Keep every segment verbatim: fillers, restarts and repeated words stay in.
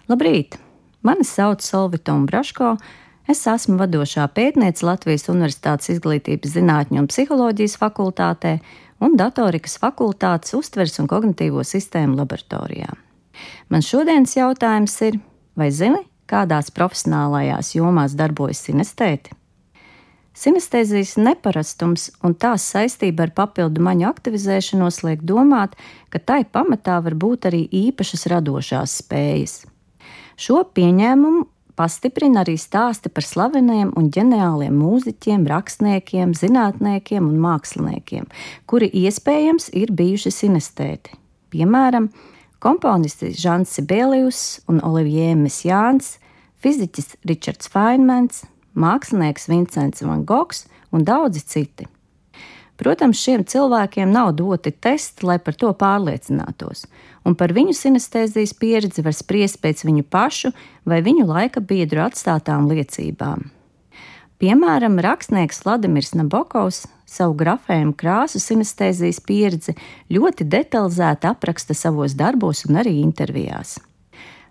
Labrīt! Mani sauc Solvita Umbraško. Es esmu vadošā pētniece Latvijas Universitātes Izglītības zinātņu un psiholoģijas fakultātē un datorikas fakultātes uztveres un kognitīvo sistēmu laboratorijā. Man šodienas jautājums ir, vai zini, kādās profesionālajās jomās darbojas sinestēti? Sinestēzijas neparastums un tās saistība ar papildu maņu aktivizēšanos liek domāt, ka tai pamatā var būt arī īpašas radošās spējas. Šo pieņēmumu pastiprina arī stāsti par slaveniem un ģeniāliem mūziķiem, rakstniekiem, zinātniekiem un māksliniekiem, kuri iespējams ir bijuši sinestēti. Piemēram, komponisti Žans Sibelius un Olivier Messiaens, fiziķis Ričards Feynmans, mākslinieks Vincents Van Gogs un daudzi citi. Protams, šiem cilvēkiem nav doti testi, lai par to pārliecinātos, un par viņu sinestēzijas pieredzi var spriest pēc viņu pašu vai viņu laika biedru atstātām liecībām. Piemēram, rakstnieks Vladimirs Nabokovs savu grafējumu krāsu sinestēzijas pieredzi ļoti detalizēti apraksta savos darbos un arī intervijās.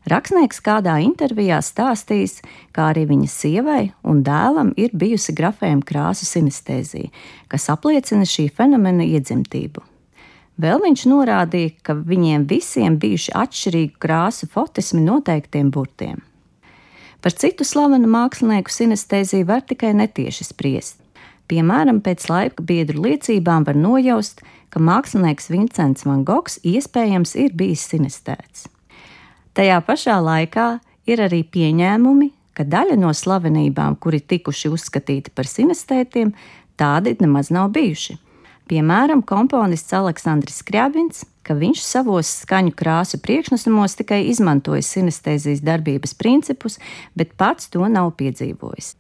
Rakstnieks kādā intervijā stāstījis, kā arī viņa sievai un dēlam ir bijusi grafējuma krāsu sinestēzija, kas apliecina šī fenomena iedzimtību. Vēl viņš norādīja, ka viņiem visiem bijuši atšķirīgu krāsu fotismi noteiktiem burtiem. Par citu slavenu mākslinieku sinestēziju var tikai netieši spriest. Piemēram, pēc laika biedru liecībām var nojaust, ka mākslinieks Vincents Van Gogs iespējams ir bijis sinestēts. Tajā pašā laikā ir arī pieņēmumi, ka daļa no slavenībām, kuri tikuši uzskatīti par sinestētiem, tādi nemaz nav bijuši. Piemēram, komponists Aleksandrs Skriabins, ka viņš savos skaņu krāsu priekšnesumos tikai izmantoja sinestēzijas darbības principus, bet pats to nav piedzīvojis.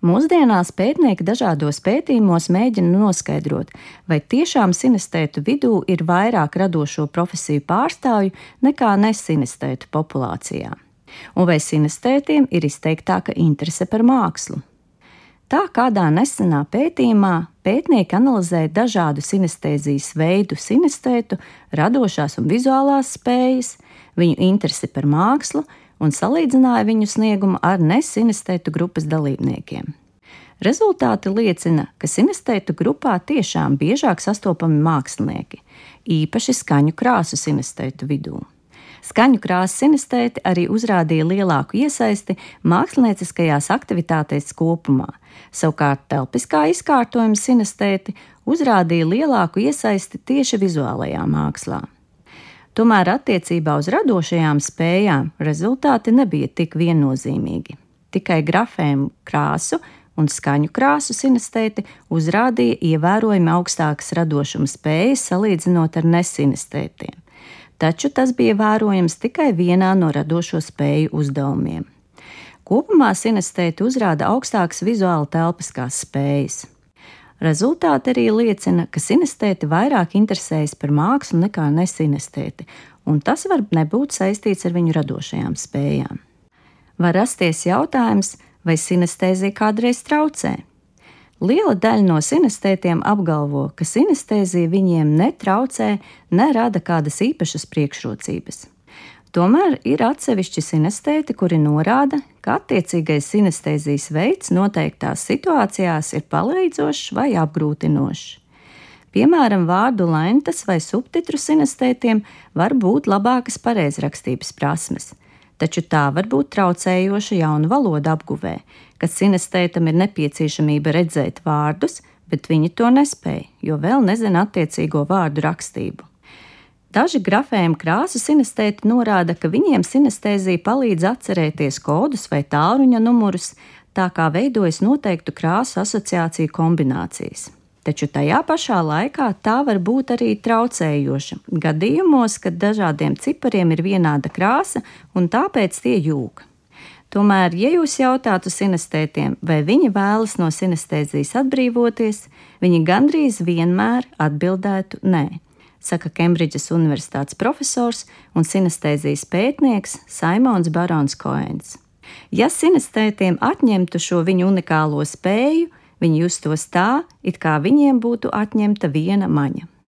Mūsdienās pētnieki dažādos pētījumos mēģina noskaidrot, vai tiešām sinestētu vidū ir vairāk radošo profesiju pārstāvju nekā nesinestētu populācijā, un vai sinestētiem ir izteiktāka interese par mākslu. Tā kādā nesenā pētījumā pētnieki analizēja dažādu sinestēzijas veidu sinestētu, radošās un vizuālās spējas, viņu interesi par mākslu un salīdzināja viņu sniegumu ar nesinestētu grupas dalībniekiem. Rezultāti liecina, ka sinestētu grupā tiešām biežāk sastopami mākslinieki, īpaši skaņu krāsu sinestētu vidū. Skaņu krāsu sinestēti arī uzrādīja lielāku iesaisti mākslinieckajās aktivitātēs kopumā, savukārt telpiskā izkārtojuma sinestēti uzrādīja lielāku iesaisti tieši vizuālajā mākslā. Tomēr attiecībā uz radošajām spējām rezultāti nebija tik viennozīmīgi. Tikai grafējumu krāsu un skaņu krāsu sinestēti uzrādīja ievērojami augstākas radošuma spējas salīdzinot ar nesinestētiem, taču tas bija vērojams tikai vienā no radošo spēju uzdevumiem. Kopumā sinestēti uzrāda augstākas vizuāli telpiskās spējas. Rezultāti arī liecina, ka sinestēti vairāk interesējas par mākslu nekā nesinestēti, un tas var nebūt saistīts ar viņu radošajām spējām. Var rasties jautājums, vai sinestēzija kādreiz traucē. Liela daļa no sinestētiem apgalvo, ka sinestēzija viņiem netraucē, nerada kādas īpašas priekšrocības. Tomēr ir atsevišķi sinestēti, kuri norāda, ka attiecīgais sinestēzijas veids noteiktās situācijās ir palīdzošs vai apgrūtinošs. Piemēram, vārdu lentas vai subtitru sinestētiem var būt labākas pareizrakstības prasmes, taču tā var būt traucējoša jaunu valodu apguvē, kad sinestētam ir nepieciešamība redzēt vārdus, bet viņi to nespēj, jo vēl nezina attiecīgo vārdu rakstību. Daži grafējuma krāsu sinestēti norāda, ka viņiem sinestēzija palīdz atcerēties kodus vai tālruņa numurus, tā kā veidojas noteiktu krāsu asociāciju kombinācijas. Taču tajā pašā laikā tā var būt arī traucējoša gadījumos, kad dažādiem cipariem ir vienāda krāsa un tāpēc tie jūg. Tomēr, ja jūs jautātu sinestētiem, vai viņi vēlas no sinestēzijas atbrīvoties, viņi gandrīz vienmēr atbildētu nē, saka Kembridžas Universitātes profesors un sinestēzijas pētnieks Saimons Barons Koens. Ja sinestētiem atņemtu šo viņu unikālo spēju, viņi justos tā, it kā viņiem būtu atņemta viena maņa.